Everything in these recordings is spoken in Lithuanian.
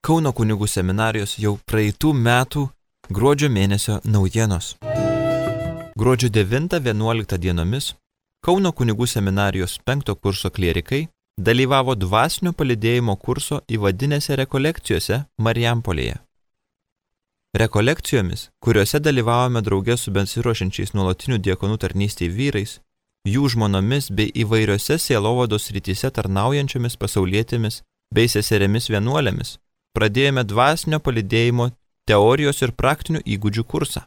Kauno kunigų seminarijos jau praeitų metų gruodžio mėnesio naujienos. Gruodžio 9-11 dienomis Kauno kunigų seminarijos 5 kurso klierikai dalyvavo dvasinio palydėjimo kurso įvadinėse rekolekcijose Marijampolėje. Rekolekcijomis, kuriuose dalyvavome drauge su besiruošiančiais nuolatinių diakonų tarnystei vyrais, jų žmonomis bei įvairiose sielovados srityse tarnaujančiomis pasaulietėmis bei seserėmis vienuolėmis, pradėjome dvasinio palydėjimo teorijos ir praktinių įgūdžių kursą.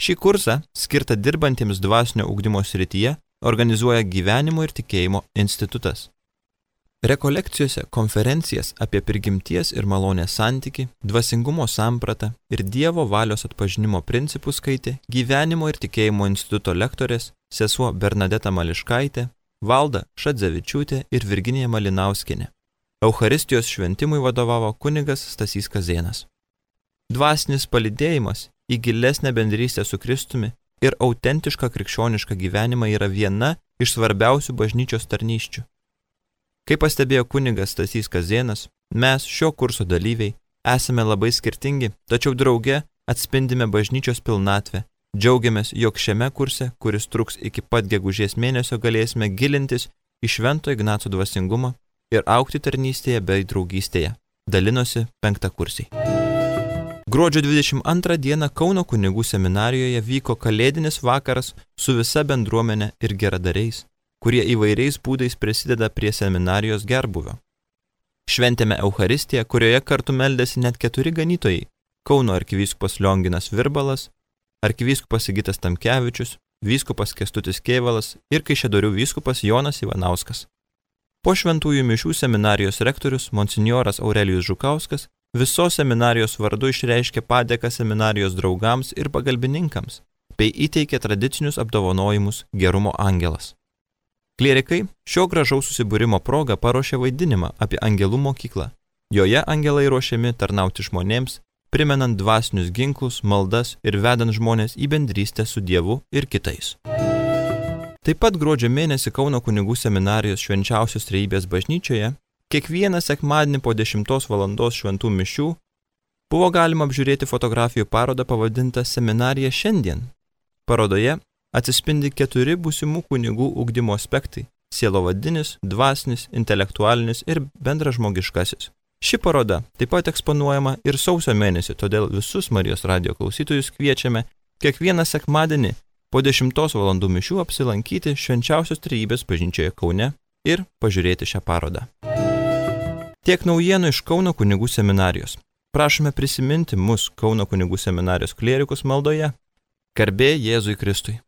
Šį kursą, skirtą dirbantiems dvasinio ugdymo srityje, organizuoja Gyvenimo ir tikėjimo institutas. Rekolekcijose konferencijas apie prigimties ir malonės santykį, dvasingumo sampratą ir Dievo valios atpažinimo principus skaitė Gyvenimo ir tikėjimo instituto lektorės sesuo Bernadeta Mališkaitė, Valda Šadzevičiūtė ir Virginija Malinauskienė. Eucharistijos šventimui vadovavo kunigas Stasys Kazėnas. Dvasinis palydėjimas į gilesnę bendrystę su Kristumi ir autentišką krikščionišką gyvenimą yra viena iš svarbiausių bažnyčios tarnysčių. Kaip pastebėjo kunigas Stasys Kazėnas, mes šio kurso dalyviai esame labai skirtingi, tačiau drauge atspindime bažnyčios pilnatvę. Džiaugiamės, jog šiame kurse, kuris truks iki pat gegužės mėnesio, galėsime gilintis į Švento Ignaco dvasingumą ir augti tarnystėje bei draugystėje, dalinosi 5 kursiai. Gruodžio 22 dieną Kauno kunigų seminarijoje vyko kalėdinis vakaras su visa bendruomenė ir geradariais, kurie įvairiais būdais prisideda prie seminarijos gerbūvio. Šventėme Eucharistiją, kurioje kartu meldėsi net 4 ganytojai – Kauno arkivyskupas Lionginas Virbalas, arkivyskupas Sigitas Tamkevičius, vyskupas Kęstutis Kėvalas ir Kaišiadorių vyskupas Jonas Ivanauskas. Po šventųjų mišių seminarijos rektorius monsinjoras Aurelijus Žukauskas visos seminarijos vardu išreiškė padėką seminarijos draugams ir pagalbininkams, bei įteikė tradicinius apdovanojimus Gerumo angelas. Klierikai šio gražaus susibūrimo proga paruošė vaidinimą apie angelų mokyklą. Joje angelai ruošiami tarnauti žmonėms, primenant dvasinius ginklus, maldas ir vedant žmonės į bendrystę su Dievu ir kitais. Taip pat gruodžio mėnesį Kauno kunigų seminarijos Švenčiausios Trejybės bažnyčioje kiekvieną sekmadienį po 10 valandos šventų mišių buvo galima apžiūrėti fotografijų parodą pavadintą Seminarija šiandien. Parodoje atsispindi 4 būsimų kunigų ugdymo aspektai – sielovadinis, dvasinis, intelektualinis ir bendražmogiškasis. Ši paroda taip pat eksponuojama ir sausio mėnesį, todėl visus Marijos radijo klausytojus kviečiame kiekvieną sekmadienį po 10 valandų mišių apsilankyti Švenčiausios Trejybės bažnyčioje Kaune ir pažiūrėti šią parodą. Tiek naujienų iš Kauno kunigų seminarijos. Prašome prisiminti mus Kauno kunigų seminarijos klierikus maldoje. Garbė Jėzui Kristui.